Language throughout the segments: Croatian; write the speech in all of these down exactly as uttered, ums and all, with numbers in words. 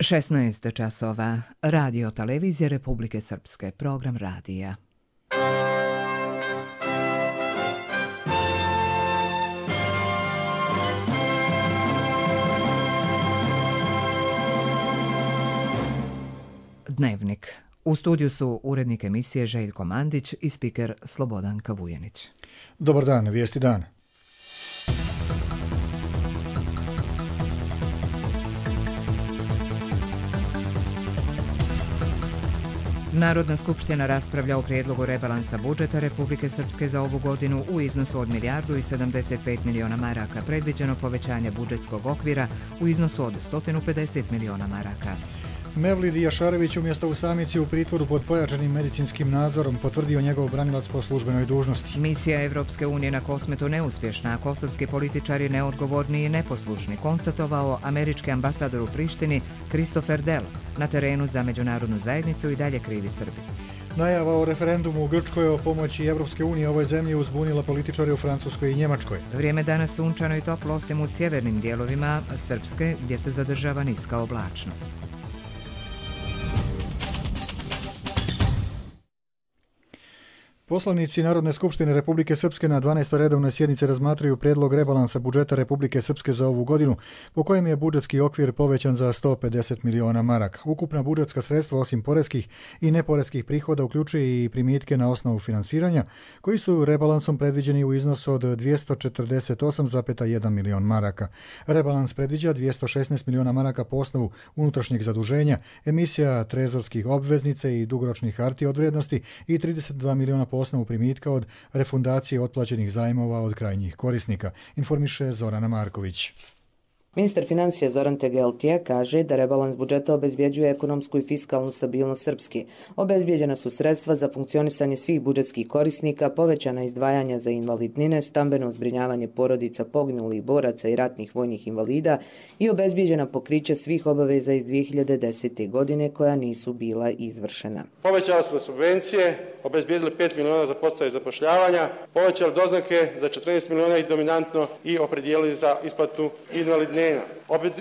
šesnaest časova. Radio televizije Republike Srpske. Program radija. Dnevnik. U studiju su urednik emisije Željko Mandić i spiker Slobodan Kavujanić. Dobar dan, vijesti dana. Narodna skupština raspravlja o prijedlogu rebalansa budžeta Republike Srpske za ovu godinu u iznosu od milijardu i sedamdeset pet miliona maraka, predviđeno povećanje budžetskog okvira u iznosu od sto pedeset miliona maraka. Mevlid Jašarević umjesto u samici u pritvoru pod pojačanim medicinskim nadzorom potvrdio njegov branilac po službenoj dužnosti. Misija Evropske unije na Kosmetu neuspješna, a kosovski političari neodgovorni i neposlušni, konstatovao američki ambasador u Prištini Christopher Dell. Na terenu za međunarodnu zajednicu i dalje krivi Srbi. Najava o referendumu u Grčkoj o pomoći Evropske unije ovoj zemlji uzbunila političare u Francuskoj i Njemačkoj. Vrijeme danas sunčano i toplo osim u sjevernim dijelovima Srpske, gdje se zadržava niska oblačnost. Poslanici Narodne skupštine Republike Srpske na dvanaestoj redovnoj sjednici razmatraju prijedlog rebalansa budžeta Republike Srpske za ovu godinu, po kojem je budžetski okvir povećan za sto pedeset miliona maraka. Ukupna budžetska sredstva osim poreskih i neporeskih prihoda uključuje i primitke na osnovu finansiranja, koji su rebalansom predviđeni u iznosu od dvjesto četrdeset osam zarez jedan milion maraka. Rebalans predviđa dvjesto šesnaest miliona maraka po osnovu unutrašnjeg zaduženja, emisija trezorskih obveznica i dugoročnih hartija od vrijednosti i trideset dva miliona po osnovu primitka od refundacije otplaćenih zajmova od krajnjih korisnika, informiše Zorana Marković. Ministar financija Zoran Tegeltije kaže da rebalans budžeta obezbjeđuje ekonomsku i fiskalnu stabilnost Srpske. Obezbjeđena su sredstva za funkcionisanje svih budžetskih korisnika, povećana izdvajanja za invalidnine, stambeno zbrinjavanje porodica poginulih boraca i ratnih vojnih invalida i obezbjeđena pokriće svih obaveza iz dvije hiljade desete. godine koja nisu bila izvršena. Povećali smo subvencije, obezbijedili pet miliona za podsticaj zapošljavanja, povećali doznake za četrnaest miliona i dominantno i opredijelili za isplatu invalidnina.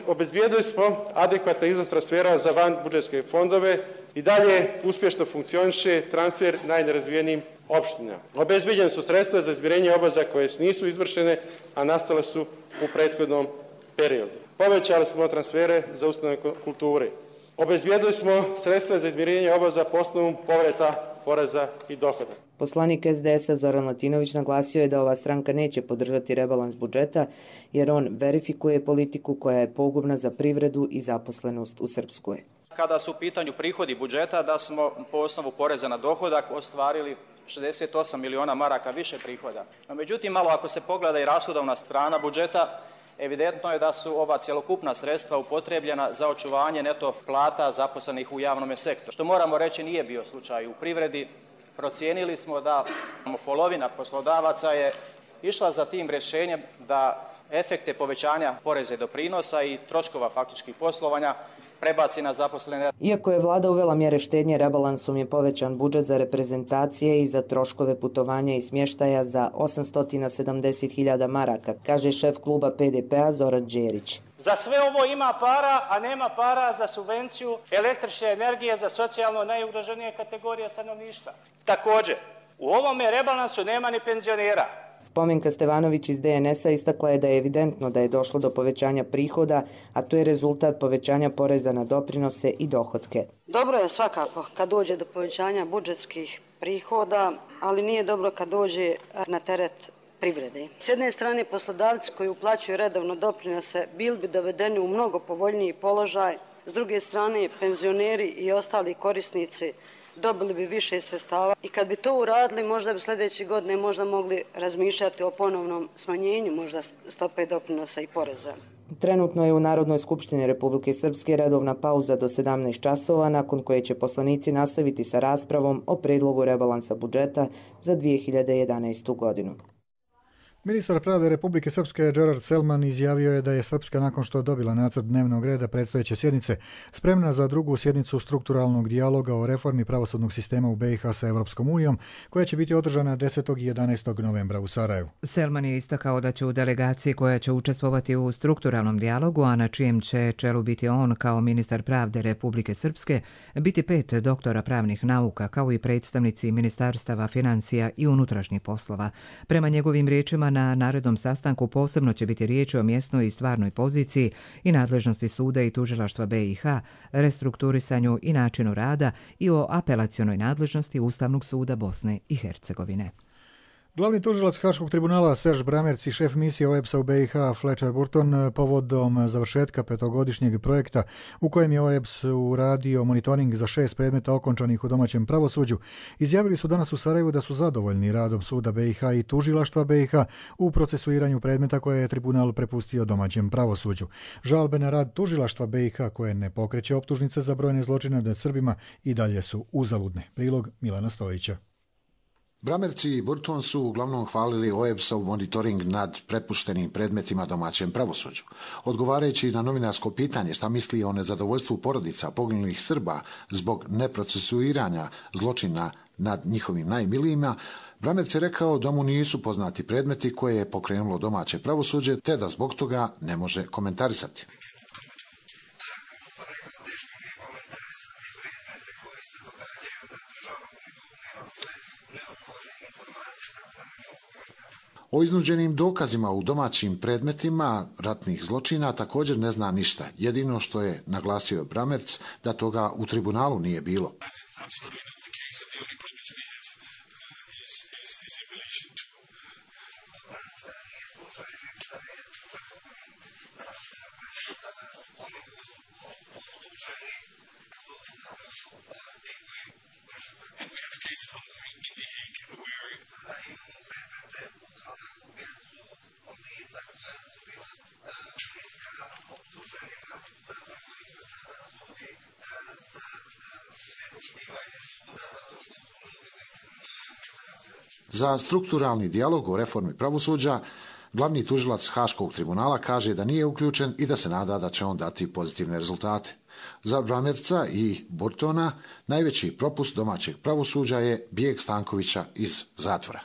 Obezbijedili smo adekvatan iznos transfera za van budžetske fondove i dalje uspješno funkcioniše transfer najnerazvijenijim opštinama. Obezbijeđene su sredstva za izmirenje obaveza koje nisu izvršene, a nastale su u prethodnom periodu. Povećali smo transfere za ustanove kulture. Obezbijedili smo sredstva za izmirenje obaveza po osnovu povrata poreza i dohoda. Poslanik es de es a Zoran Latinović naglasio je da ova stranka neće podržati rebalans budžeta jer on verifikuje politiku koja je pogubna za privredu i zaposlenost u Srpskoj. Kada su u pitanju prihodi budžeta, da smo po osnovu poreza na dohodak ostvarili šezdeset osam miliona maraka više prihoda. No, međutim, malo ako se pogleda i rashodovna strana budžeta, evidentno je da su ova cjelokupna sredstva upotrebljena za očuvanje neto plata zaposlenih u javnom sektoru. Što moramo reći nije bio slučaj u privredi. Procijenili smo da polovina poslodavaca je išla za tim rješenjem da efekte povećanja poreza i doprinosa i troškova faktičkih poslovanja prebaci na zaposlene. Iako je vlada uvela mjere štednje, rebalansom je povećan budžet za reprezentacije i za troškove putovanja i smještaja za osamsto sedamdeset hiljada maraka, kaže šef kluba pe de pe a Zoran Đerić. Za sve ovo ima para, a nema para za subvenciju električne energije za socijalno najugroženije kategorije stanovništva. Također, u ovome rebalansu nema ni penzionera. Spomenka Stevanović iz de en es a istakla je da je evidentno da je došlo do povećanja prihoda, a to je rezultat povećanja poreza na doprinose i dohotke. Dobro je svakako kad dođe do povećanja budžetskih prihoda, ali nije dobro kad dođe na teret privrede. S jedne strane, poslodavci koji uplaćuju redovno doprinose bili bi dovedeni u mnogo povoljniji položaj, s druge strane, penzioneri i ostali korisnici dobili bi više sredstava i kad bi to uradili, možda bi sljedeće godine možda mogli razmišljati o ponovnom smanjenju možda stope doprinosa i poreza. Trenutno je u Narodnoj skupštini Republike Srpske redovna pauza do sedamnaest časova, nakon koje će poslanici nastaviti sa raspravom o predlogu rebalansa budžeta za dvije hiljade jedanaestu. godinu. Ministar pravde Republike Srpske Gerard Selman izjavio je da je Srpska nakon što dobila nacrt dnevnog reda predstojeće sjednice spremna za drugu sjednicu strukturalnog dijaloga o reformi pravosudnog sistema u B i H sa Evropskom unijom, koja će biti održana desetog i jedanaestog novembra u Sarajevu. Selman je istakao da će u delegaciji koja će učestvovati u strukturalnom dijalogu, a na čijem će čelu biti on kao ministar pravde Republike Srpske, biti pet doktora pravnih nauka, kao i predstavnici ministarstava financija i unutrašnjih poslova. Prema njegovim riječima, na narednom sastanku posebno će biti riječ o mjesnoj i stvarnoj poziciji i nadležnosti suda i tužilaštva B i H, restrukturisanju i načinu rada i o apelacionoj nadležnosti Ustavnog suda Bosne i Hercegovine. Glavni tužilac Haškog tribunala Serge Bramerc i šef misije O E B S-a u B i H Fletcher Burton povodom završetka petogodišnjeg projekta u kojem je O E B S uradio monitoring za šest predmeta okončanih u domaćem pravosuđu, izjavili su danas u Sarajevu da su zadovoljni radom suda B i H i tužilaštva B i H u procesuiranju predmeta koje je tribunal prepustio domaćem pravosuđu. Žalbe na rad tužilaštva B i H koje ne pokreće optužnice za brojne zločine nad Srbima i dalje su uzaludne. Prilog Milana Stojića. Bramerc i Burton su uglavnom hvalili O E B S-ov monitoring nad prepuštenim predmetima domaćem pravosuđu. Odgovarajući na novinarsko pitanje šta misli o nezadovoljstvu porodica poginulih Srba zbog neprocesuiranja zločina nad njihovim najmilijima, Bramerc je rekao da mu nisu poznati predmeti koje je pokrenulo domaće pravosuđe, te da zbog toga ne može komentarisati. O iznuđenim dokazima u domaćim predmetima ratnih zločina također ne zna ništa. Jedino što je naglasio Bramerc da toga u tribunalu nije bilo. Za strukturalni dijalog o reformi pravosuđa glavni tužilac Haškog tribunala kaže da nije uključen i da se nada da će on dati pozitivne rezultate. Za Bramerca i Burtona najveći propust domaćeg pravosuđa je bijeg Stankovića iz zatvora.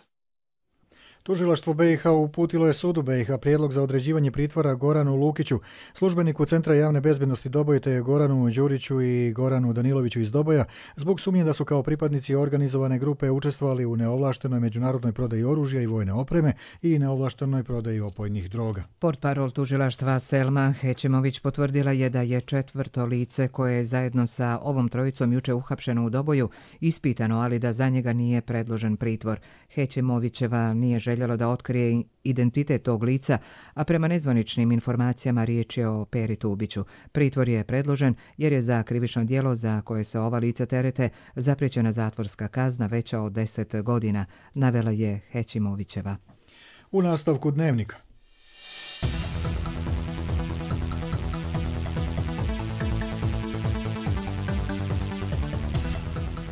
Tužilaštvo B i H uputilo je sudu B i H prijedlog za određivanje pritvora Goranu Lukiću, službeniku Centra javne bezbednosti Doboj, te Goranu Đuriću i Goranu Daniloviću iz Doboja, zbog sumnje da su kao pripadnici organizovane grupe učestvovali u neovlaštenoj međunarodnoj prodaji oružja i vojne opreme i neovlaštenoj prodaji opojnih droga. Portparol tužilaštva Selma Hećimović potvrdila je da je četvrto lice koje je zajedno sa ovom trojicom juče uhapšeno u Doboju ispitano, ali da za njega nije predložen pritvor. Hećimovićeva nije željela da otkrije identitet tog lica, a prema nezvaničnim informacijama riječ je o Peri Tubiću. Pritvor je predložen jer je za krivično djelo za koje se ova lica terete zapriječena zatvorska kazna veća od deset godina, navela je Hećimovićeva. U nastavku Dnevnika.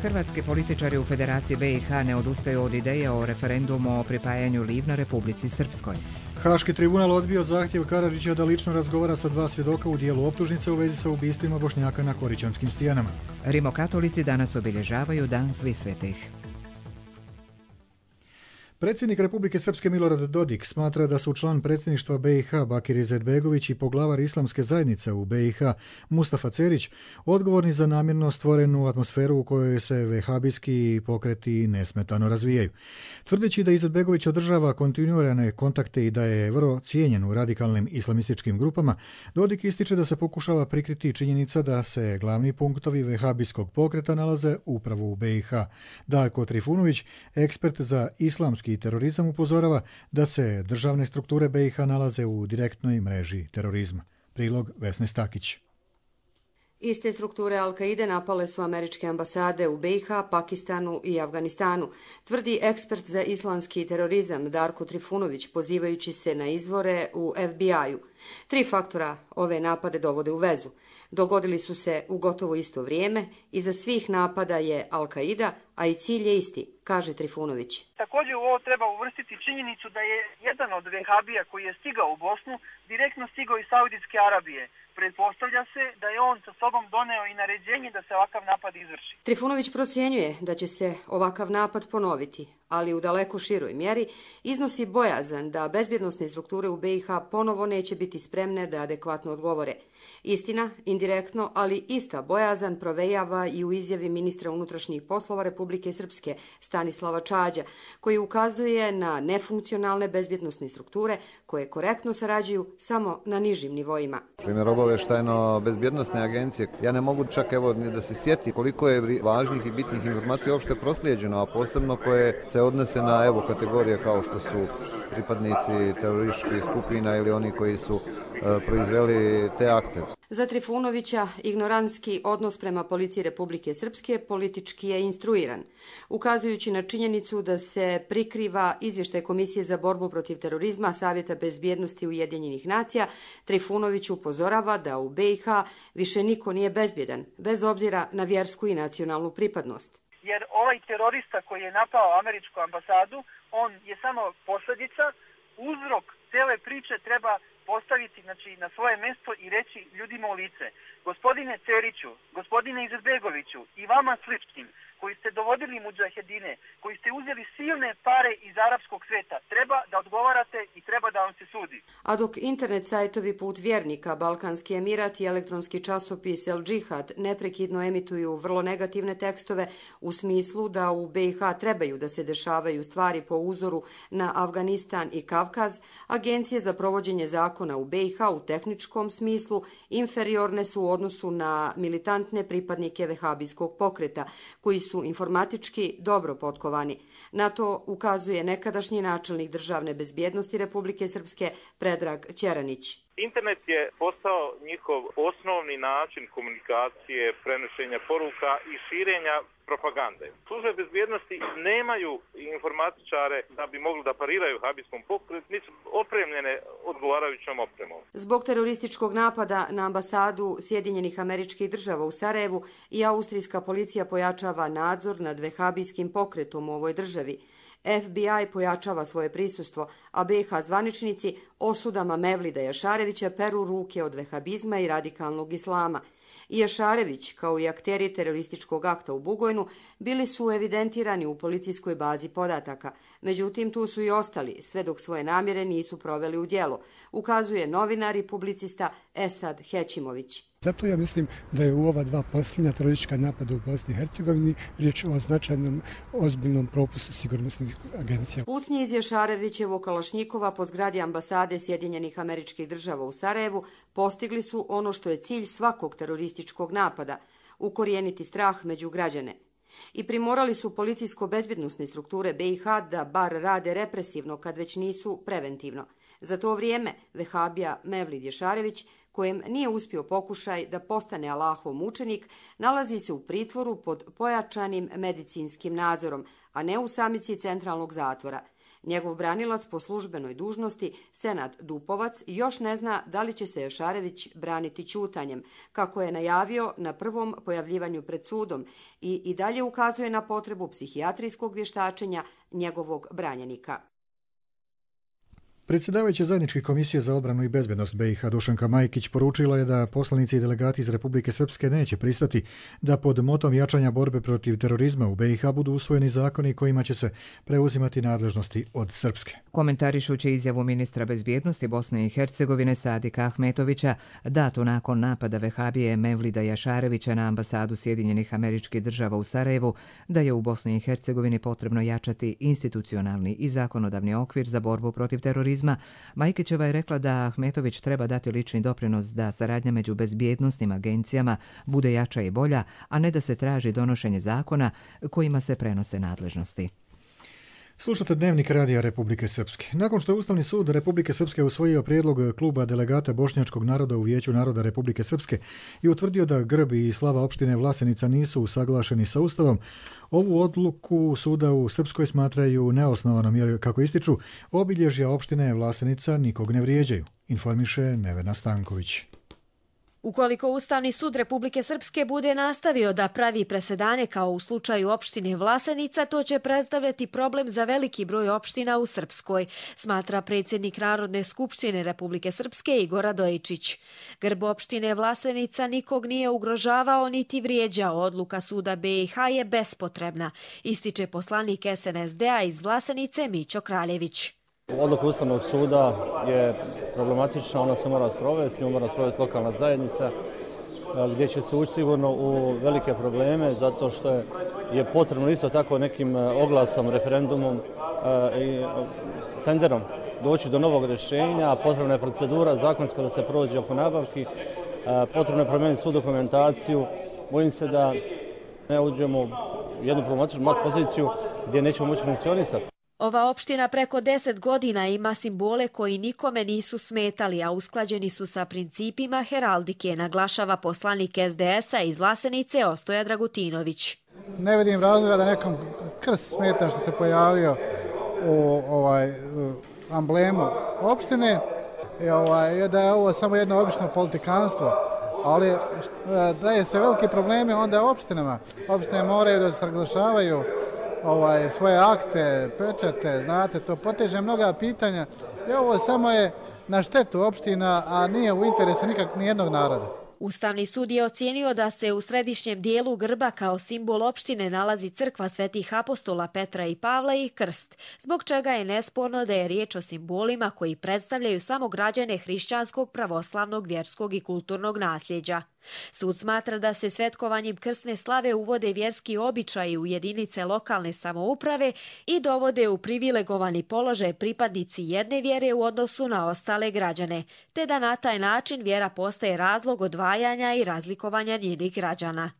Hrvatski političari u Federaciji B i H ne odustaju od ideje o referendumu o pripajanju Livna Republici Srpskoj. Haški tribunal odbio zahtjev Karadžića da lično razgovara sa dva svjedoka u dijelu optužnice u vezi sa ubistvima Bošnjaka na Korićanskim stijenama. Rimokatolici danas obilježavaju Dan Svih svetih. Predsjednik Republike Srpske Milorad Dodik smatra da su član predsjedništva B i H Bakir Izetbegović i poglavar islamske zajednice u B i H Mustafa Cerić odgovorni za namjerno stvorenu atmosferu u kojoj se vehabijski pokreti nesmetano razvijaju. Tvrdeći da Izetbegović održava kontinuirane kontakte i da je vrlo cijenjen u radikalnim islamističkim grupama, Dodik ističe da se pokušava prikriti činjenica da se glavni punktovi vehabijskog pokreta nalaze upravo u B i H. Darko Trifunović, ekspert za islamski i terorizam, upozorava da se državne strukture B i H nalaze u direktnoj mreži terorizma. Prilog Vesne Stakić. Iste strukture Al-Kaide napale su američke ambasade u B i H, Pakistanu i Afganistanu, tvrdi ekspert za islamski terorizam Darko Trifunović, pozivajući se na izvore u F B I-u. Tri faktora ove napade dovode u vezu. Dogodili su se u gotovo isto vrijeme, iza svih napada je Al-Kaida, a i cilj je isti, kaže Trifunović. Također u ovo treba uvrstiti činjenicu da je jedan od vehabija koji je stigao u Bosnu direktno stigao iz Saudijske Arabije. Pretpostavlja se da je on sa sobom doneo i naređenje da se ovakav napad izvrši. Trifunović procjenjuje da će se ovakav napad ponoviti, ali u daleko široj mjeri iznosi bojazan da bezbjednosne strukture u B i H ponovo neće biti spremne da adekvatno odgovore. Istina, indirektno, ali ista bojazan provejava i u izjavi ministra unutrašnjih poslova Republike Srpske Stanislava Čađa, koji ukazuje na nefunkcionalne bezbjednosne strukture koje korektno sarađuju samo na nižim nivoima. Primjer obavještajno bezbjednosne agencije, ja ne mogu čak evo ni da se sjeti koliko je važnih i bitnih informacija uopšte proslijeđeno, a posebno koje se odnose na evo kategorije kao što su pripadnici terorističkih skupina ili oni koji su e, proizveli te akte. Za Trifunovića ignorantski odnos prema policiji Republike Srpske politički je instruiran. Ukazujući na činjenicu da se prikriva izvještaj Komisije za borbu protiv terorizma Savjeta bezbjednosti Ujedinjenih nacija, Trifunović upozorava da u B i H više niko nije bezbjedan, bez obzira na vjersku i nacionalnu pripadnost. Jer ovaj terorista koji je napao američku ambasadu, on je samo posljedica, uzrok cele priče treba postaviti znači, na svoje mjesto i reći ljudima u lice. Gospodine Ceriću, gospodine Izetbegoviću i vama sličnim koji ste dovodili mudžahedine, koji ste uzeli silne pare iz arapskog sveta, treba da odgovarate i treba da vam se sudi. A dok internet sajtovi Put vjernika, Balkanski emirat i elektronski časopis El Džihad neprekidno emituju vrlo negativne tekstove u smislu da u B i H trebaju da se dešavaju stvari po uzoru na Afganistan i Kavkaz, agencije za provođenje zakona u B i H u tehničkom smislu inferiorne su u odnosu na militantne pripadnike vehabijskog pokreta, koji su informatički dobro potkovani. Na to ukazuje nekadašnji načelnik državne bezbjednosti Republike Srpske Predrag Ćeranić. Internet je postao njihov osnovni način komunikacije, prenošenja poruka i širenja propagande. Službe bezbjednosti nemaju informatičare da bi mogli da pariraju habijskom pokretu, nisu opremljene odgovarajućom opremom. Zbog terorističkog napada na ambasadu Sjedinjenih Američkih Država u Sarajevu i austrijska policija pojačava nadzor nad vehabijskim pokretom u ovoj državi. F B I pojačava svoje prisustvo, a B i H zvaničnici osudama Mevlida Jašarevića peru ruke od vehabizma i radikalnog islama. I Jašarević, kao i akteri terorističkog akta u Bugojnu, bili su evidentirani u policijskoj bazi podataka. Međutim, tu su i ostali, sve dok svoje namjere nisu proveli u djelo, ukazuje novinar i publicista Esad Hećimović. Zato ja mislim da je u ova dva posljednja teroristička napada u Bosni i Hercegovini riječ o značajnom ozbiljnom propustu sigurnosnih agencija. Pucnji iz Jašarevićevog kalašnjikova po zgradi ambasade Sjedinjenih Američkih Država u Sarajevu postigli su ono što je cilj svakog terorističkog napada – ukorijeniti strah među građane. I primorali su policijsko-bezbjednosne strukture B i H da bar rade represivno kad već nisu preventivno. Za to vrijeme vehabija Mevlid Jašarević, kojem nije uspio pokušaj da postane Allahov mučenik, nalazi se u pritvoru pod pojačanim medicinskim nadzorom, a ne u samici centralnog zatvora. Njegov branilac po službenoj dužnosti, Senad Dupovac, još ne zna da li će se Jašarević braniti ćutanjem, kako je najavio na prvom pojavljivanju pred sudom i i dalje ukazuje na potrebu psihijatrijskog vještačenja njegovog branjenika. Predsjedavajuća zajedničke komisije za odbranu i bezbjednost B i H Dušanka Majkić poručila je da poslanici i delegati iz Republike Srpske neće pristati da pod motom jačanja borbe protiv terorizma u B i H budu usvojeni zakoni kojima će se preuzimati nadležnosti od Srpske. Komentarišući izjavu ministra bezbjednosti Bosne i Hercegovine Sadika Ahmetovića, datu nakon napada vehabije Mevlida Jašarevića na ambasadu Sjedinjenih Američkih Država u Sarajevu, da je u Bosni i Hercegovini potrebno jačati institucionalni i zakonodavni okvir za borbu protiv terorizma, Majkićeva je rekla da Ahmetović treba dati lični doprinos da saradnja među bezbjednosnim agencijama bude jača i bolja, a ne da se traži donošenje zakona kojima se prenose nadležnosti. Slušate Dnevnik radija Republike Srpske. Nakon što je Ustavni sud Republike Srpske usvojio prijedlog kluba delegata Bošnjačkog naroda u Vijeću naroda Republike Srpske i utvrdio da grb i slava opštine Vlasenica nisu usaglašeni sa Ustavom, ovu odluku suda u Srpskoj smatraju neosnovanom jer, kako ističu, obilježja opštine Vlasenica nikog ne vrijeđaju, informiše Nevena Stanković. Ukoliko Ustavni sud Republike Srpske bude nastavio da pravi presedane kao u slučaju opštine Vlasenica, to će predstavljati problem za veliki broj opština u Srpskoj, smatra predsjednik Narodne skupštine Republike Srpske Igor Radojičić. Grb opštine Vlasenica nikog nije ugrožavao niti vrijeđao, odluka suda B i H je bespotrebna, ističe poslanik S N S D-a iz Vlasenice Mićo Kraljević. Odluka Ustavnog suda je problematična, ona se mora sprovesti, nju mora sprovesti lokalna zajednica, gdje će se ući sigurno u velike probleme, zato što je, je potrebno isto tako nekim oglasom, referendumom i tenderom doći do novog rješenja, potrebna je procedura zakonska da se prođe oko nabavki, potrebno je promijeniti svu dokumentaciju. Bojim se da ne uđemo u jednu problematičnu mat poziciju gdje nećemo moći funkcionisati. Ova opština preko deset godina ima simbole koji nikome nisu smetali, a usklađeni su sa principima heraldike, naglašava poslanik S D S-a iz Vlasenice Ostoja Dragutinović. Ne vidim razloga da nekom krst smeta što se pojavio u ovaj, amblemu opštine i ovaj, da je ovo samo jedno obično politikanstvo, ali daje se veliki problemi onda opštinama. Opštine moraju da se naglašavaju Ovaj, svoje akte, pečate, znate, to poteže mnoga pitanja i ovo samo je na štetu opština, a nije u interesu nikak nijednog naroda. Ustavni sud je ocijenio da se u središnjem dijelu grba kao simbol opštine nalazi crkva svetih apostola Petra i Pavla i krst, zbog čega je nesporno da je riječ o simbolima koji predstavljaju samo građane hrišćanskog, pravoslavnog, vjerskog i kulturnog nasljeđa. Sud smatra da se svetkovanjem krsne slave uvode vjerski običaji u jedinice lokalne samouprave i dovode u privilegovani položaj pripadnici jedne vjere u odnosu na ostale građane, te da na taj način vjera postaje razlog odvajanja i razlikovanja njenih građana.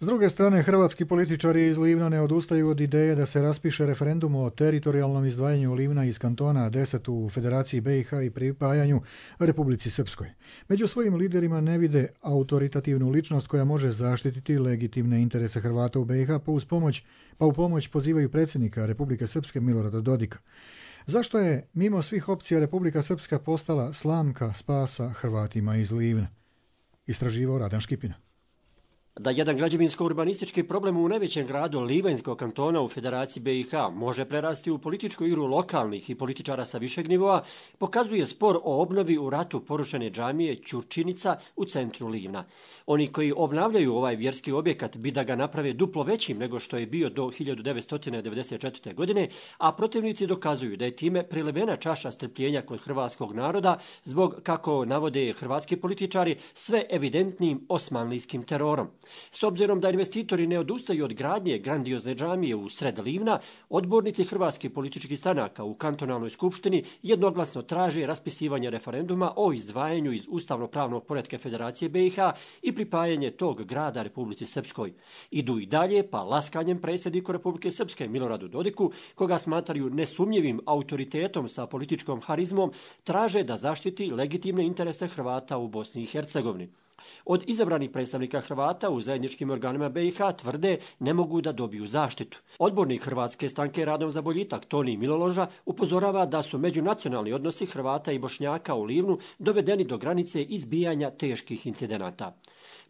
S druge strane, hrvatski političari iz Livna ne odustaju od ideje da se raspiše referendum o teritorijalnom izdvajanju Livna iz kantona deset u Federaciji B i H i pripajanju Republici Srpskoj. Među svojim liderima ne vide autoritativnu ličnost koja može zaštititi legitimne interese Hrvata u B i H, pa, uz pomoć, pa u pomoć pozivaju predsjednika Republike Srpske Milorada Dodika. Zašto je, mimo svih opcija, Republika Srpska postala slamka spasa Hrvatima iz Livna? Istraživao Radan Škipina. Da jedan građevinsko-urbanistički problem u najvećem gradu Livanjskog kantona u Federaciji B i H može prerasti u političku igru lokalnih i političara sa višeg nivoa, pokazuje spor o obnovi u ratu porušene džamije Ćurčinica u centru Livna. Oni koji obnavljaju ovaj vjerski objekat bi da ga naprave duplo većim nego što je bio do hiljadu devetsto devedeset četvrte. godine, a protivnici dokazuju da je time prilevena čaša strpljenja kod hrvatskog naroda zbog, kako navode hrvatski političari, sve evidentnim osmanlijskim terorom. S obzirom da investitori ne odustaju od gradnje grandiozne džamije u sred Livna, odbornici hrvatskih političkih stranaka u kantonalnoj skupštini jednoglasno traže raspisivanje referenduma o izdvajanju iz ustavno-pravnog poretka Federacije B i H i pripajanje tog grada Republici Srpskoj. Idu i dalje, pa laskanjem predsjedniku Republike Srpske Miloradu Dodiku, koga smatraju nesumnjivim autoritetom sa političkom harizmom, traže da zaštiti legitimne interese Hrvata u Bosni i Hercegovini. Od izabranih predstavnika Hrvata u zajedničkim organima B i H tvrde ne mogu da dobiju zaštitu. Odbornik Hrvatske stranke Radom za boljitak Toni Miloloža upozorava da su međunacionalni odnosi Hrvata i Bošnjaka u Livnu dovedeni do granice izbijanja teških incidenata.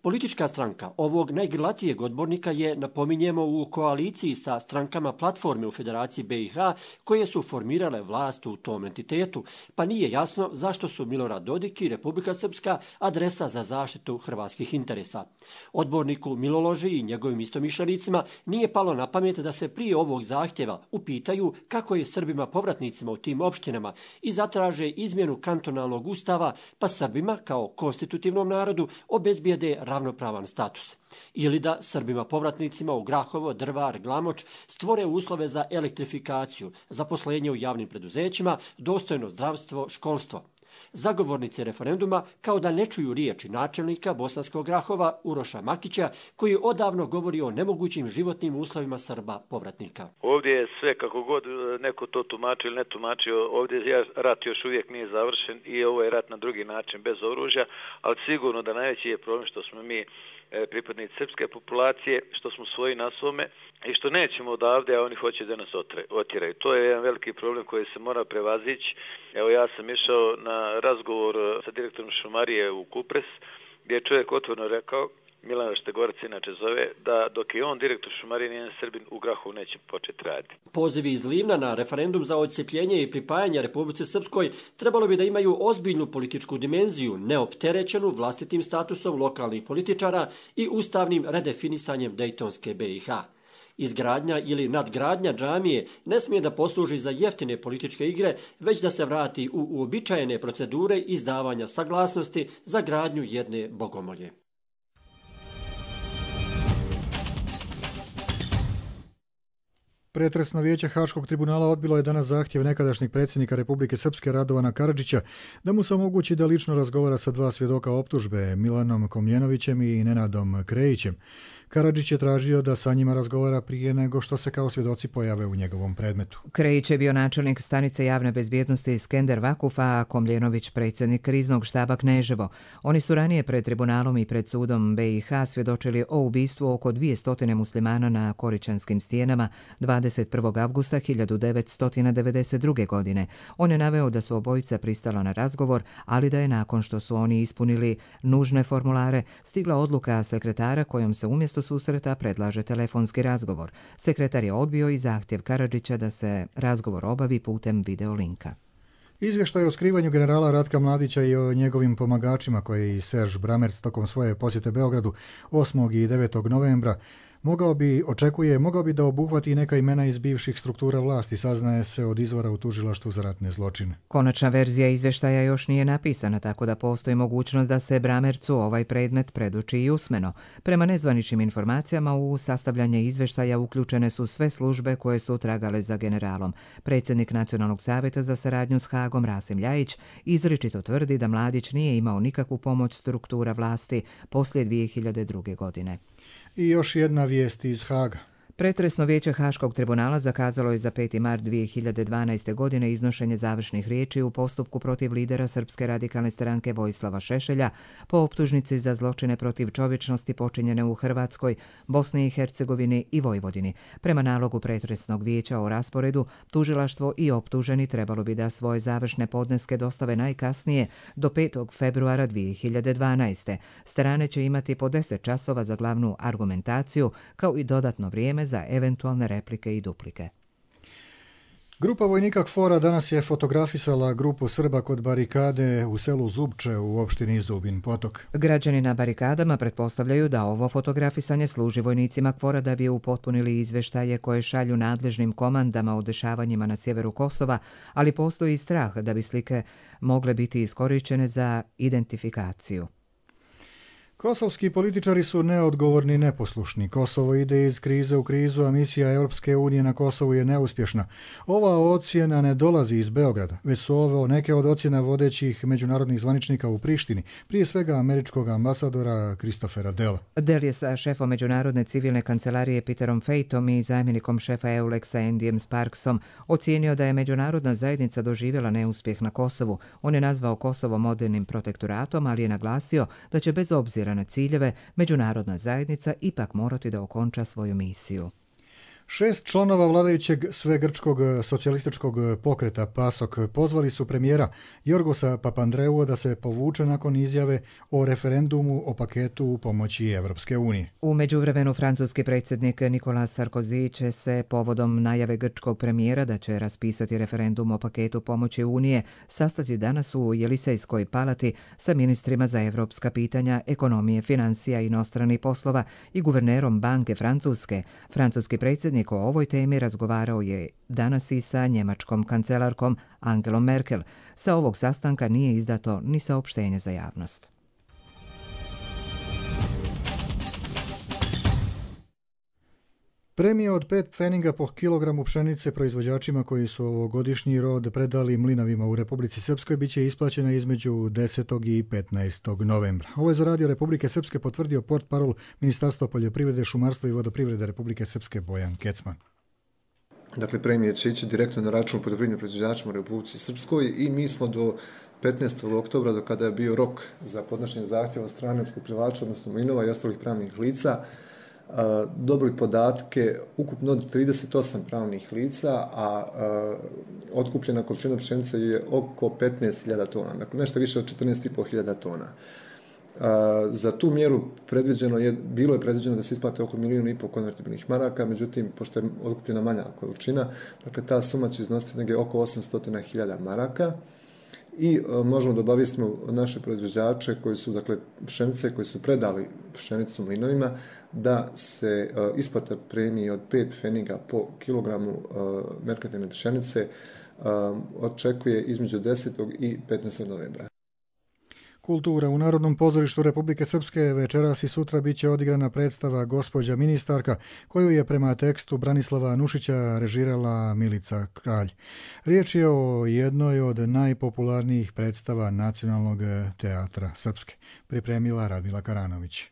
Politička stranka ovog najgrlatijeg odbornika je, napominjemo, u koaliciji sa strankama platforme u Federaciji B i H koje su formirale vlast u tom entitetu, pa nije jasno zašto su Milorad Dodik i Republika Srpska adresa za zaštitu hrvatskih interesa. Odborniku Miloloži i njegovim istomišljenicima nije palo na pamet da se prije ovog zahtjeva upitaju kako je Srbima povratnicima u tim opštinama i zatraže izmjenu kantonalnog ustava, pa Srbima kao konstitutivnom narodu obezbijede ravnopravan status. Ili da Srbima povratnicima u Grahovo, Drvar, Glamoč stvore uslove za elektrifikaciju, zaposlenje u javnim preduzećima, dostojno zdravstvo, školstvo. Zagovornici referenduma kao da ne čuju riječi načelnika Bosanskog Grahova Uroša Makića, koji odavno govori o nemogućim životnim uslovima Srba povratnika. Ovdje je sve, kako god neko to tumači ili ne tumačio, ovdje rat još uvijek nije završen i ovo je rat na drugi način bez oružja, ali sigurno da najveći je problem što smo mi pripadnici srpske populacije, što smo svoji na svome i što nećemo odavde, a oni hoće da nas otjeraju. To je jedan veliki problem koji se mora prevazići. Evo, ja sam išao na razgovor sa direktorom šumarije u Kupres, gdje je čovjek otvoreno rekao, Milan Štegorac inače zove, da dok je on direktor šumarije nijedan Srbin u Grahovu neće početi raditi. Pozivi iz Livna na referendum za odcepljenje i pripajanje Republici Srpskoj trebalo bi da imaju ozbiljnu političku dimenziju, neopterećenu vlastitim statusom lokalnih političara i ustavnim redefinisanjem Dejtonske B i H. Izgradnja ili nadgradnja džamije ne smije da posluži za jeftine političke igre, već da se vrati u uobičajene procedure izdavanja saglasnosti za gradnju jedne bogomolje. Pretresno vijeće Haškog tribunala odbilo je danas zahtjev nekadašnjeg predsjednika Republike Srpske Radovana Karadžića da mu se omogući da lično razgovara sa dva svjedoka optužbe, Milanom Komljenovićem i Nenadom Krejićem. Karadžić je tražio da sa njima razgovara prije nego što se kao svjedoci pojave u njegovom predmetu. Krejić je bio načelnik stanice javne bezbjednosti Skender Vakufa, a Komljenović predsjednik kriznog štaba Kneževo. Oni su ranije pred tribunalom i pred sudom B i H svjedočili o ubistvu oko dvjesto muslimana na Koričanskim stijenama dvadeset prvog avgusta hiljadu devetsto devedeset druge. godine. On je naveo da su obojica pristala na razgovor, ali da je nakon što su oni ispunili nužne formulare stigla odluka sekretara kojom se umjesto susreta predlaže telefonski razgovor. Sekretar je odbio i zahtjev Karadžića da se razgovor obavi putem videolinka. Izvještaj o skrivanju generala Ratka Mladića i o njegovim pomagačima koje i Serž Bramerc tokom svoje posjete Beogradu osmog i devetog novembra mogao bi, očekuje, mogao bi da obuhvati neka imena iz bivših struktura vlasti, saznaje se od izvora u tužilaštvu za ratne zločine. Konačna verzija izvještaja još nije napisana, tako da postoji mogućnost da se Bramercu ovaj predmet predoči i usmeno. Prema nezvaničnim informacijama u sastavljanje izvještaja uključene su sve službe koje su tragale za generalom. Predsjednik Nacionalnog savjeta za saradnju s Hagom Rasim Ljajić izričito tvrdi da Mladić nije imao nikakvu pomoć struktura vlasti poslije dvije hiljade druge. godine. I još jedna vijest iz Haga. Pretresno vijeće Haškog tribunala zakazalo je za peti mart dvije hiljade dvanaeste. godine iznošenje završnih riječi u postupku protiv lidera Srpske radikalne stranke Vojislava Šešelja po optužnici za zločine protiv čovječnosti počinjene u Hrvatskoj, Bosni i Hercegovini i Vojvodini. Prema nalogu pretresnog vijeća o rasporedu, tužilaštvo i optuženi trebalo bi da svoje završne podneske dostave najkasnije do petog februara dvije hiljade dvanaeste. Strane će imati po deset časova za glavnu argumentaciju, kao i dodatno vrijeme za eventualne replike i duplike. Grupa vojnika KFOR-a danas je fotografisala grupu Srba kod barikade u selu Zubče u opštini Zubin Potok. Građani na barikadama pretpostavljaju da ovo fotografisanje služi vojnicima KFOR-a da bi upotpunili izveštaje koje šalju nadležnim komandama o dešavanjima na sjeveru Kosova, ali postoji strah da bi slike mogle biti iskorištene za identifikaciju. Kosovski političari su neodgovorni i neposlušni. Kosovo ide iz krize u krizu, a misija Europske unije na Kosovu je neuspješna. Ova ocjena ne dolazi iz Beograda, već su ovo neke od ocjena vodećih međunarodnih zvaničnika u Prištini, prije svega američkog ambasadora Christophera Dela. Del je sa šefom Međunarodne civilne kancelarije Peterom Fejtom i zamjenikom šefa Eulexa Andyjem Sparksom ocijenio da je međunarodna zajednica doživjela neuspjeh na Kosovu. On je nazvao Kosovo modernim protektoratom, ali je naglasio da će bez obzira na ciljeve međunarodna zajednica ipak morati da okonča svoju misiju. Šest članova vladajućeg svegrčkog socijalističkog pokreta PASOK pozvali su premijera Jorgosa Papandreua da se povuče nakon izjave o referendumu o paketu pomoći Evropske unije. U međuvremenu francuski predsjednik Nicolas Sarkozy će se povodom najave grčkog premijera da će raspisati referendum o paketu pomoći Unije sastati danas u Jelisejskoj palati sa ministrima za evropska pitanja, ekonomije, financija i inostranih poslova i guvernerom Banke Francuske. Francuski predsjednik o ovoj temi razgovarao je danas i sa njemačkom kancelarkom Angelom Merkel. Sa ovog sastanka nije izdato ni saopštenje za javnost. Premija od pet pfeninga po kilogramu pšenice proizvođačima koji su ovogodišnji rod predali mlinavima u Republici Srpskoj biće isplaćena između desetog i petnaestog novembra. Ovo je za Radio Republike Srpske potvrdio portparol Ministarstva poljoprivrede, šumarstva i vodoprivrede Republike Srpske Bojan Kecman. Dakle, premije će ići direktno na račun poljoprivrednim proizvođačima u Republici Srpskoj i mi smo do petnaestog oktobra, do kada je bio rok za podnošenje zahtjeva strane opskrbljivača, odnosno mlinova i ostalih pravnih lica, dobili podatke ukupno od trideset osam pravnih lica, a otkupljena količina pšenice je oko petnaest hiljada tona, dakle nešto više od četrnaest i po hiljada tona. Za tu mjeru predviđeno je, bilo je predviđeno da se isplate oko milijun i pol konvertibilnih maraka, međutim, pošto je otkupljena manja količina, dakle ta suma će iznositi negdje oko osamsto hiljada maraka. I možemo da obavijestimo naše proizvođače koji su, dakle, pšenice, koji su predali pšenicu mlinovima, da se uh, isplata premije od pet pfeniga po kilogramu uh, merkantilne pšenice uh, očekuje između desetog i petnaestog novembra. Kultura. U Narodnom pozorištu Republike Srpske večeras i sutra bit će odigrana predstava Gospođa ministarka, koju je prema tekstu Branislava Nušića režirala Milica Kralj. Riječ je o jednoj od najpopularnijih predstava Nacionalnog teatra Srpske. Pripremila Radmila Karanović.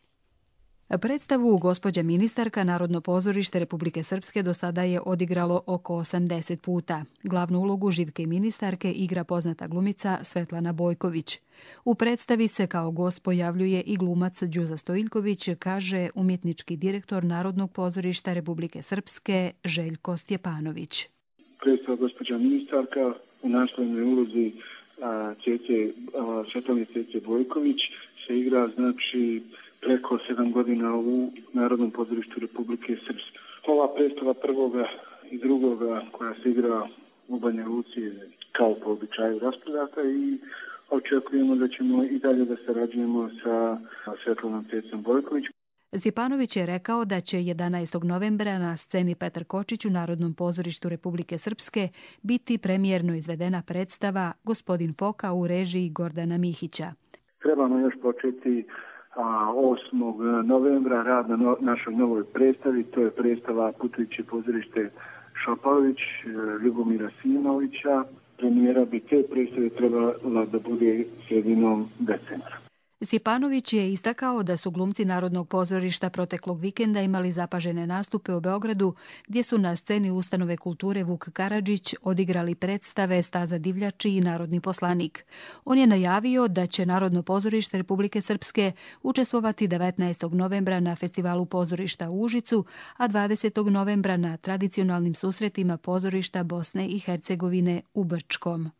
Predstavu Gospođa ministarka Narodno pozorište Republike Srpske do sada je odigralo oko osamdeset puta. Glavnu ulogu Živke ministarke igra poznata glumica Svetlana Bojković. U predstavi se kao gost pojavljuje i glumac Đuza Stojiljković, kaže umjetnički direktor Narodnog pozorišta Republike Srpske Željko Stjepanović. Predstava Gospođa ministarka u naslovnoj ulozi Svetlane Cece Bojković se igra, znači, preko sedam godina u Narodnom pozorištu Republike Srpske. Ova predstava prvoga i drugoga koja se igra u Banja Luci kao po običaju raspravljata i očekujemo da ćemo i dalje da sarađujemo sa Svetlanom Cecom Bojković. Stjepanović je rekao da će jedanaestog novembra na sceni Petar Kočić u Narodnom pozorištu Republike Srpske biti premijerno izvedena predstava Gospodin Foka u režiji Gordana Mihića. Trebamo još početi osmog novembra rad na no, našoj novoj predstavi, to je predstava Putujuće pozorište Šopalović, Ljubomira Simovića. Premijera bi te predstave trebala da bude sredinom decembra. Stjepanović je istakao da su glumci Narodnog pozorišta proteklog vikenda imali zapažene nastupe u Beogradu, gdje su na sceni Ustanove kulture Vuk Karadžić odigrali predstave Staza divljači i Narodni poslanik. On je najavio da će Narodno pozorište Republike Srpske učestvovati devetnaestog novembra na festivalu pozorišta u Užicu, a dvadesetog novembra na tradicionalnim susretima pozorišta Bosne i Hercegovine u Brčkom.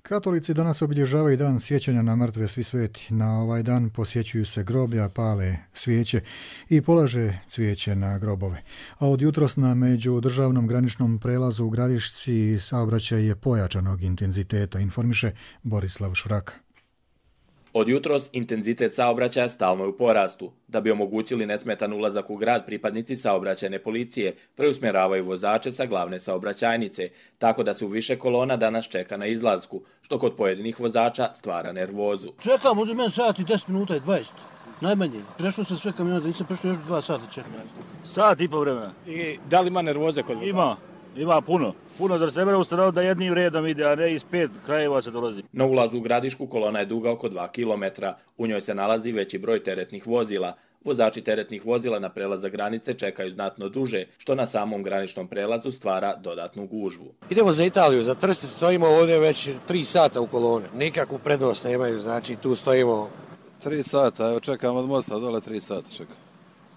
Katolici danas obilježavaju dan sjećanja na mrtve svi sveti. Na ovaj dan posjećuju se groblja, pale svijeće i polaže cvijeće na grobove. A od jutros na međudržavnom graničnom prelazu u Gradišci saobraćaj je pojačanog intenziteta, informiše Borislav Švraka. Od jutros intenzitet saobraćaja stalno je u porastu. Da bi omogućili nesmetan ulazak u grad, pripadnici saobraćajne policije preusmjeravaju vozače sa glavne saobraćajnice, tako da se u više kolona danas čeka na izlasku, što kod pojedinih vozača stvara nervozu. Čekam, od meni sat i deset minuta i dvadeset. Najmanje. Prešlo se sve kamiona, da nisam prešlo još dva sata čekam. Sat i po vremena. I da li ima nervoze kod vozača? Ima. Ima puno. Puno da se mora ustanoviti da jednim redom ide, a ne iz pet krajeva se dolazi. Na ulazu u Gradišku kolona je duga oko dva kilometra. U njoj se nalazi veći broj teretnih vozila. Vozači teretnih vozila na prelazak granice čekaju znatno duže, što na samom graničnom prelazu stvara dodatnu gužvu. Idemo za Italiju, za Trst stojimo ovdje već tri sata u koloni. Nikakvu prednost nemaju, znači tu stojimo. Tri sata, evo čekam od mosta dole tri sata čekam.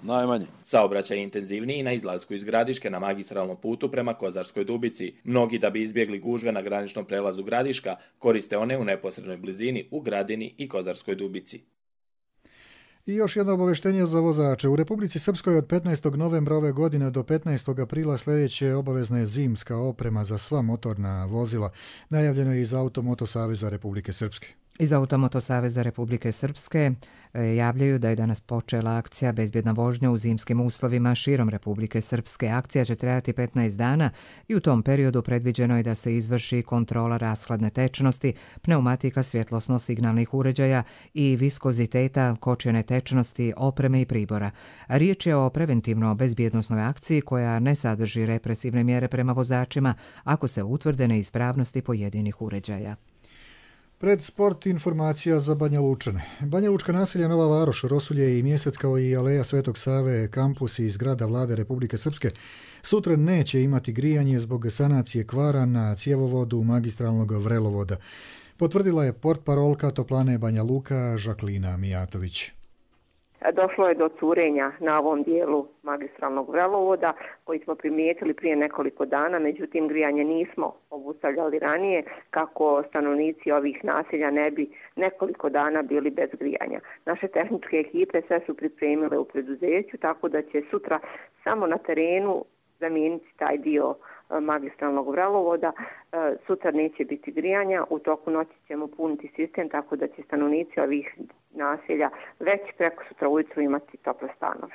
Najmanje. Saobraćaj je intenzivniji na izlasku iz Gradiške na magistralnom putu prema Kozarskoj Dubici. Mnogi, da bi izbjegli gužve na graničnom prelazu Gradiška, koriste one u neposrednoj blizini u Gradini i Kozarskoj Dubici. I još jedno obaveštenje za vozače. U Republici Srpskoj od petnaestog novembra ove godine do petnaestog aprila sljedeće obavezna je zimska oprema za sva motorna vozila. Najavljeno je iz Automoto Saveza Republike Srpske. Iz Automoto Saveza Republike Srpske javljaju da je danas počela akcija Bezbjedna vožnja u zimskim uslovima širom Republike Srpske. Akcija će trajati petnaest dana i u tom periodu predviđeno je da se izvrši kontrola rashladne tečnosti, pneumatika svjetlosno-signalnih uređaja i viskoziteta, kočene tečnosti, opreme i pribora. Riječ je o preventivno bezbjednosnoj akciji koja ne sadrži represivne mjere prema vozačima ako se utvrde neispravnosti pojedinih uređaja. Pred sport informacija za Banja Lučane. Banja Lučka naselja Nova Varoš, Rosulje i Mjesec kao i Aleja Svetog Save, kampus i zgrada Vlade Republike Srpske sutra neće imati grijanje zbog sanacije kvara na cjevovodu magistralnog vrelovoda. Potvrdila je portparolka Toplane Banja Luka Žaklina Mijatović. Došlo je do curenja na ovom dijelu magistralnog vrelovoda koji smo primijetili prije nekoliko dana, međutim grijanje nismo obustavljali ranije kako stanovnici ovih naselja ne bi nekoliko dana bili bez grijanja. Naše tehničke ekipe sve su pripremile u preduzeću, tako da će sutra samo na terenu zamijeniti taj dio magistralnog vrelovoda. Sutra neće biti grijanja, u toku noći ćemo puniti sistem tako da će stanovnici ovih naselja već preko sutra ujutru imati tople stanove.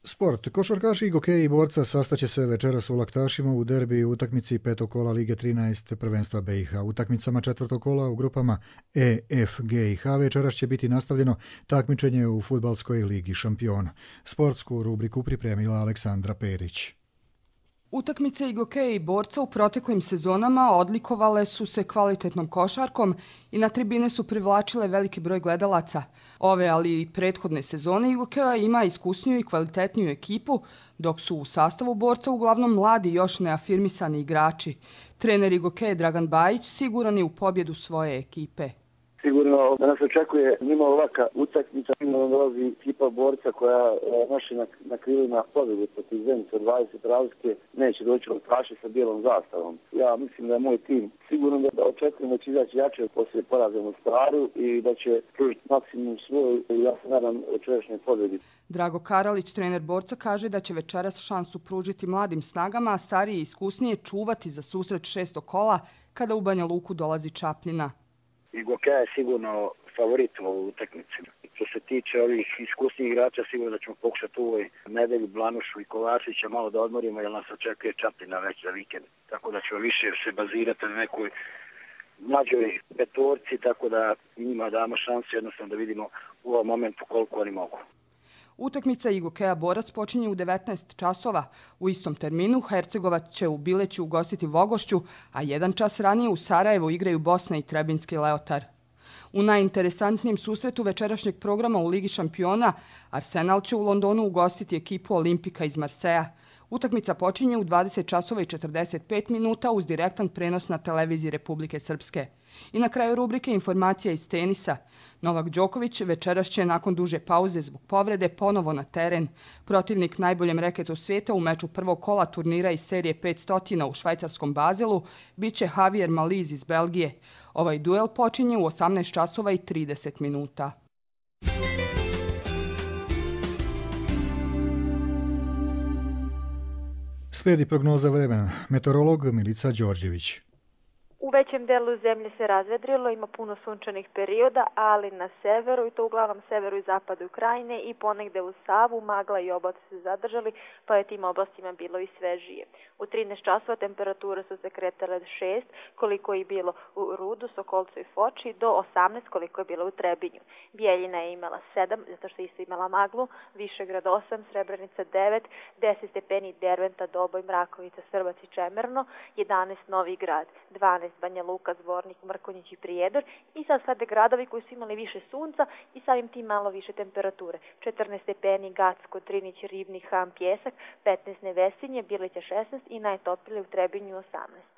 Sport. Košarkaši i gokeji borca sastaće se večeras u Laktašima u derbi utakmici petog kola Lige trinaest prvenstva B i H. Utakmicama četvrtog kola u grupama E, F, G i H večeras će biti nastavljeno takmičenje u Fudbalskoj ligi šampiona. Sportsku rubriku pripremila Aleksandra Perić. Utakmice i gokeja i borca u proteklim sezonama odlikovale su se kvalitetnom košarkom i na tribine su privlačile veliki broj gledalaca. Ove, ali i prethodne sezone Igokeja ima iskusniju i kvalitetniju ekipu, dok su u sastavu borca uglavnom mladi još neafirmisani igrači. Trener Igokeje Dragan Bajić siguran je u pobjedu svoje ekipe. Sigurno da nas očekuje njima ovaka utakmica, sigurno dolazi ekipa borca koja noši na, na krilima pobjedu protiv Zenice od dvadeset razlike, neće doći Laktaši sa bijelom zastavom. Ja mislim da je moj tim sigurno da, da očekujem da će izaći jače poslije poraza u Staru i da će pružiti maksimum svoj i ja se nadam večerašnjoj pobjedi. Drago Karalić, trener borca, kaže da će večeras šansu pružiti mladim snagama, a stariji i iskusnije čuvati za susret šestog kola kada u Banja Luku dolazi Čapljina. Igokeja je sigurno favorit u ovoj utakmici. Što se tiče ovih iskusnih igrača, sigurno da ćemo pokušati u ovoj nedelju Blanušu i Kovačića malo da odmorimo, jer nas očekuje Čapljina već za vikend. Tako da ćemo više se bazirati na nekoj mlađoj petorci, tako da njima damo šansu jednostavno da vidimo u ovom momentu koliko oni mogu. Utakmica Igokeja borac počinje u devetnaest časova. U istom terminu Hercegovac će u Bileću ugostiti Vogošću, a jedan čas ranije u Sarajevu igraju Bosna i Trebinski Leotar. U najinteresantnijem susretu večerašnjeg programa u Ligi šampiona Arsenal će u Londonu ugostiti ekipu Olimpika iz Marseja. Utakmica počinje u dvadeset časova i četrdeset pet minuta uz direktan prenos na televiziji Republike Srpske. I na kraju rubrike informacija iz tenisa. Novak Đoković večeras će nakon duže pauze zbog povrede ponovo na teren. Protivnik najboljem reketu svijeta u meču prvog kola turnira iz serije petsto u švajcarskom Bazelu biće Javier Maliz iz Belgije. Ovaj duel počinje u osamnaest časova i trideset minuta. Slijedi prognoza vremena. Meteorolog Milica Đorđević. U većem delu zemlje se razvedrilo, ima puno sunčanih perioda, ali na severu, i to uglavnom severu i zapadu Ukrajine i ponegde u Savu, magla i oblaci se zadržali, pa je tim oblastima bilo i svežije. U trinaest časova temperature su se kretale šest, koliko je bilo u Rudu, Sokolcu i Foči, do osamnaest, koliko je bilo u Trebinju. Bijeljina je imala sedam, zato što je isto imala maglu, Višegrad osam, Srebrenica devet, deset stepeni Derventa, Doboj, Mrakovica, Srbac i Čemerno, jedanaest Novi Grad, dvanaest Banja Luka, Zvornik, Mrkonjić i Prijedor i sad slede gradovi koji su imali više sunca i samim tim malo više temperature. četrnaest stepeni Gacko, Trinić, Ribnik, Ham, Pjesak, petnaest Nevesinje, Bilića šesnaest i najtoplije u Trebinju osamnaest.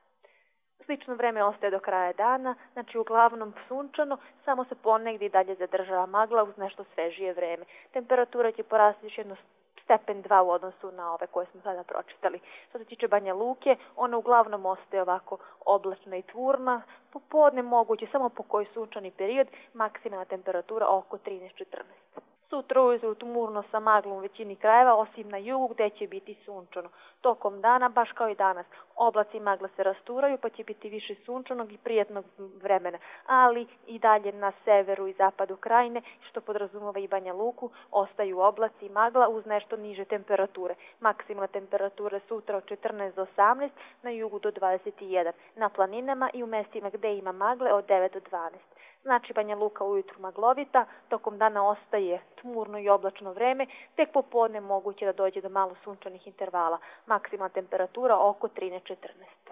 Slično vreme ostaje do kraja dana, znači uglavnom sunčano, samo se ponegdje i dalje zadržava magla uz nešto svežije vreme. Temperatura će porasti još jedno stepen dva u odnosu na ove koje smo sada pročitali. Što se tiče Banja Luke, ona uglavnom ostaje ovako oblačna i tvorna, popodne moguće samo po koji sunčani period, maksimalna temperatura oko trinaest četrnaest. Sutra ujutru tmurno sa maglom u većini krajeva, osim na jugu gdje će biti sunčano. Tokom dana, baš kao i danas, oblaci i magla se rasturaju pa će biti više sunčanog i prijetnog vremena, ali i dalje na severu i zapadu krajine, što podrazumeva i Banja Luku, ostaju oblaci i magla uz nešto niže temperature. Maksimalna temperatura sutra od četrnaest do osamnaest, na jugu do dvadeset jedan, na planinama i u mestima gdje ima magle od devet do dvanaest. Znači Banja Luka ujutru maglovita, tokom dana ostaje tmurno i oblačno vreme, tek popodne moguće da dođe do malo sunčanih intervala. Maksimalna temperatura oko trinaest četrnaest.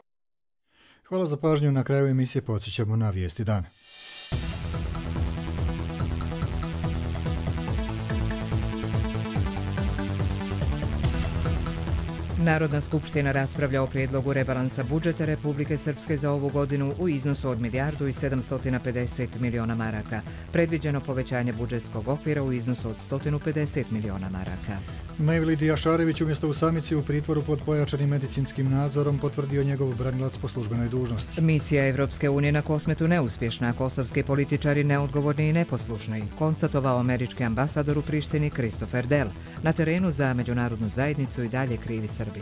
Hvala za pažnju. Na kraju emisije podsjećamo na vijesti dana. Narodna skupština raspravlja o prijedlogu rebalansa budžeta Republike Srpske za ovu godinu u iznosu od milijardu i sedamsto pedeset miliona maraka. Predviđeno povećanje budžetskog okvira u iznosu od sto pedeset miliona maraka. Mevlid Jašarević umjesto u samici u pritvoru pod pojačanim medicinskim nadzorom potvrdio njegov branilac po službenoj dužnosti. Misija Evropske unije na Kosmetu neuspješna, kosovski političari neodgovorni i neposlušni, konstatovao američki ambasador u Prištini Christopher Dell. Na terenu za međunarodnu zajednicu i dalje krivi Srbi.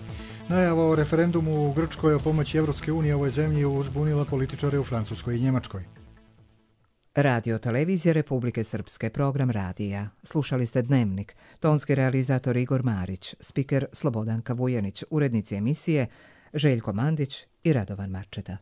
Najava o referendumu u Grčkoj o pomoći Evropske unije ovoj zemlji uzbunila političare u Francuskoj i Njemačkoj. Radio televizije Republike Srpske, program radija. Slušali ste Dnevnik, tonski realizator Igor Marić, spiker Slobodanka Vujanić, urednici emisije Željko Mandić i Radovan Marčeta.